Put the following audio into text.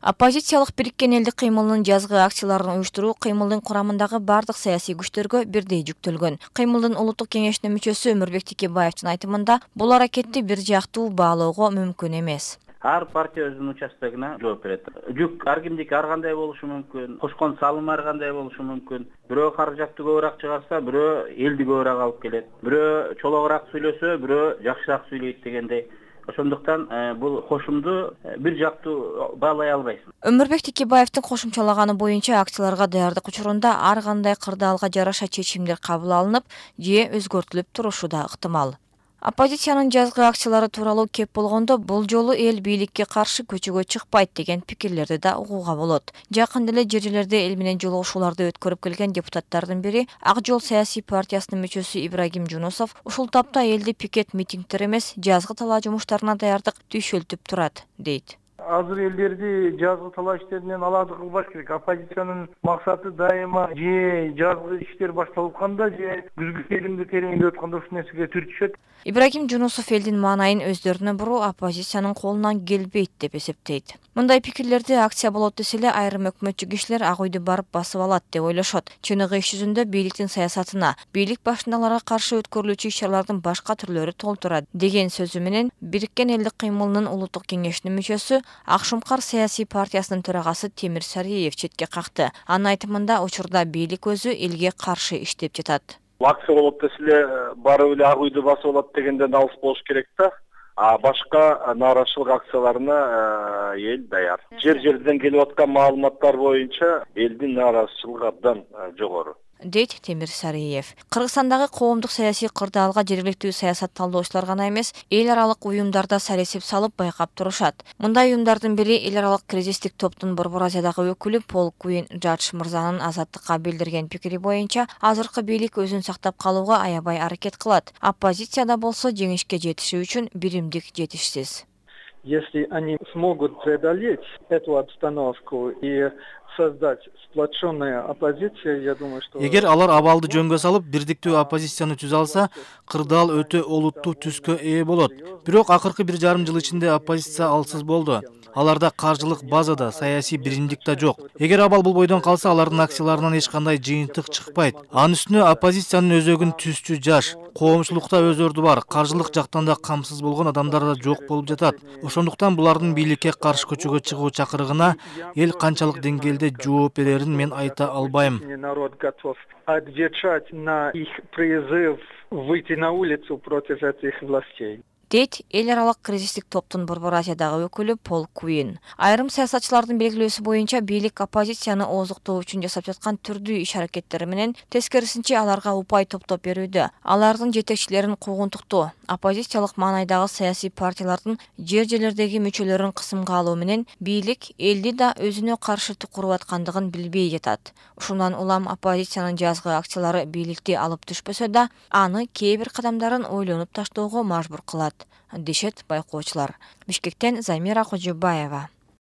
Оппозициялык Бириккен элдик кыймылынын жазгы акцияларын уюштуруу кыймылдын курамындагы бардык саясий күчтөргө бирдей жүктөлгөн. Кыймылдын улуттук кеңешинин мүчөсү Өмүрбек Текебаевдин айтымында бул аракетти бир жактуу баалоого мүмкүн эмес. Ар партия өзүнүн участогуна жооп берет. Жүк ар кимдики ар кандай болушу мүмкүн, кошкон салым ар кандай болушу мүмкүн. Бирөө каражатты көбүрөөк чыгарса, бирөө элди көбүрөөк алып келет. Бирөө чологураак сүйлөсө, бирөө жакшыраак сүйлөйт дегендей. Ошондуктан бул кошумду бир жактуу баалай албайсың. Өмүрбек Текебаевдин кошумчалаганы боюнча акцияларга даярдык учурунда ар кандай кырдаалга жараша чечимдер кабыл алынып же өзгөртүлүп турушу да ыктымал. Оппозициянын жазгы акциялары тууралуу кеп болгондо бул жолу эл бийликке каршы көчөгө чыкпайт деген пикирлерди да угууга болот. Жакында эле жер жерлерде эл менен жолугушууларды өткөрүп келген депутаттардын бири Ак Жол саясий партиясынын мүчөсү Ибрагим Жунусов ушул тапта элди пикет митингдер эмес, жазгы талаа жумуштарына даярдык түйшөлтүп турат, дейт. Азыр элдерди жазгы талаа иштеринен алады кылбаш керек. Оппозициянын максаты дайыма же жазгы иштер башталып атканда же күзгү теримди тереңдеп атканда ушул нерсеге түр түшөт. Ибрагим Жунусов элдин маанайын өздөрүнө буруу оппозициянын колунан келбейт деп эсептейт. Мындай пикирлерди акция болот десе эле айрым өкмөтчү кишилер ак үйдү барып басып алат деп ойлошот. Чыныгы иш жүзүндө бийликтин саясатына, бийлик башындагыларга каршы өткөрүлүүчү иш-чаралардын башка түрлөрү толтурат деген сөзү менен Бириккен элдик кыймылынын улуттук кеңешинин мүчөсү Ак Шумкар саясий партиясынын төрагасы Темир Сариев четке какты. Анын айтымында учурда бийлик өзү элге каршы иштеп жатат. Акция болот десе эле барып эле ак үйдү басып алат дегенден алыс болуш керек да. А башка нааразычылык акцияларына эл даяр. Жер-жерден келип аткан маалыматтар боюнча элдин нааразычылыгы абдан жогору, дейт Темир Сариев. Кыргызстандагы коомдук саясий кырдаалга жергиликтүү саясат талдоочулар гана эмес, эл аралык уюмдарда саресип салып байкап турушат. Мындай уюмдардын бири эл аралык кризистик топтун Борбор Азиядагы өкүлү Пол Куин Жадж мырзанын Азаттыкка билдирген пикири боюнча азыркы бийлик өзүн сактап калууга аябай аракет кылат. Оппозицияда болсо жеңишке жетиши үчүн биримдик жетишсиз. Если они смогут преодолеть эту обстановку и создать сплоченную оппозицию, я думаю, что... Эгер алар абалды жөнгө салып, бирдиктүү оппозицияны түзө алса, кырдаал өтө олуттуу түскө ээ болот. Бирок акыркы 1,5 жыл ичинде оппозиция алсыз болду. Аларда каржылык база да, саясий биримдик да жок. Эгер абал бул бойдон калса, алардын акцияларынан эч кандай жыйынтык чыкпайт. Анын үстүнө оппозициянын өзөгүн түзчү жаш, коомчулукта өз орду бар, каржылык жактан да камсыз болгон адамдар да жок болуп жатат. Ошондуктан булардын бийликке каршы көчөгө чыгуу чакырыгына эл канчалык деңгээлде жооп берерин мен айта албайм. Народ готов отвечать на их призыв выйти на улицу против этих властей. Дейт эл аралык кризистик топтун Борбор Азиядагы өкүлү Пол Куин. Айрым саясатчылардын белгилөөсү боюнча бийлик оппозицияны ооздуктоо үчүн жасап жаткан түрдүү иш-аракеттери менен тескерисинче аларга упай топтоп берүүдө. Алардын жетекчилерин куугунтуктоо, оппозициялык маанайдагы саясий партиялардын жер-жерлердеги мүчөлөрүн кысымга алуу менен бийлик элди да өзүнө каршы куруп аткандыгын билбей жатат. Ушундан улам оппозициянын жазгы акциялары бийликти алып түшпөсө да, аны кээ бир кадамдарын ойлонуп таштоого мажбур кылат, дешет байкоочулар. Бишкектен Замира Кожобаева.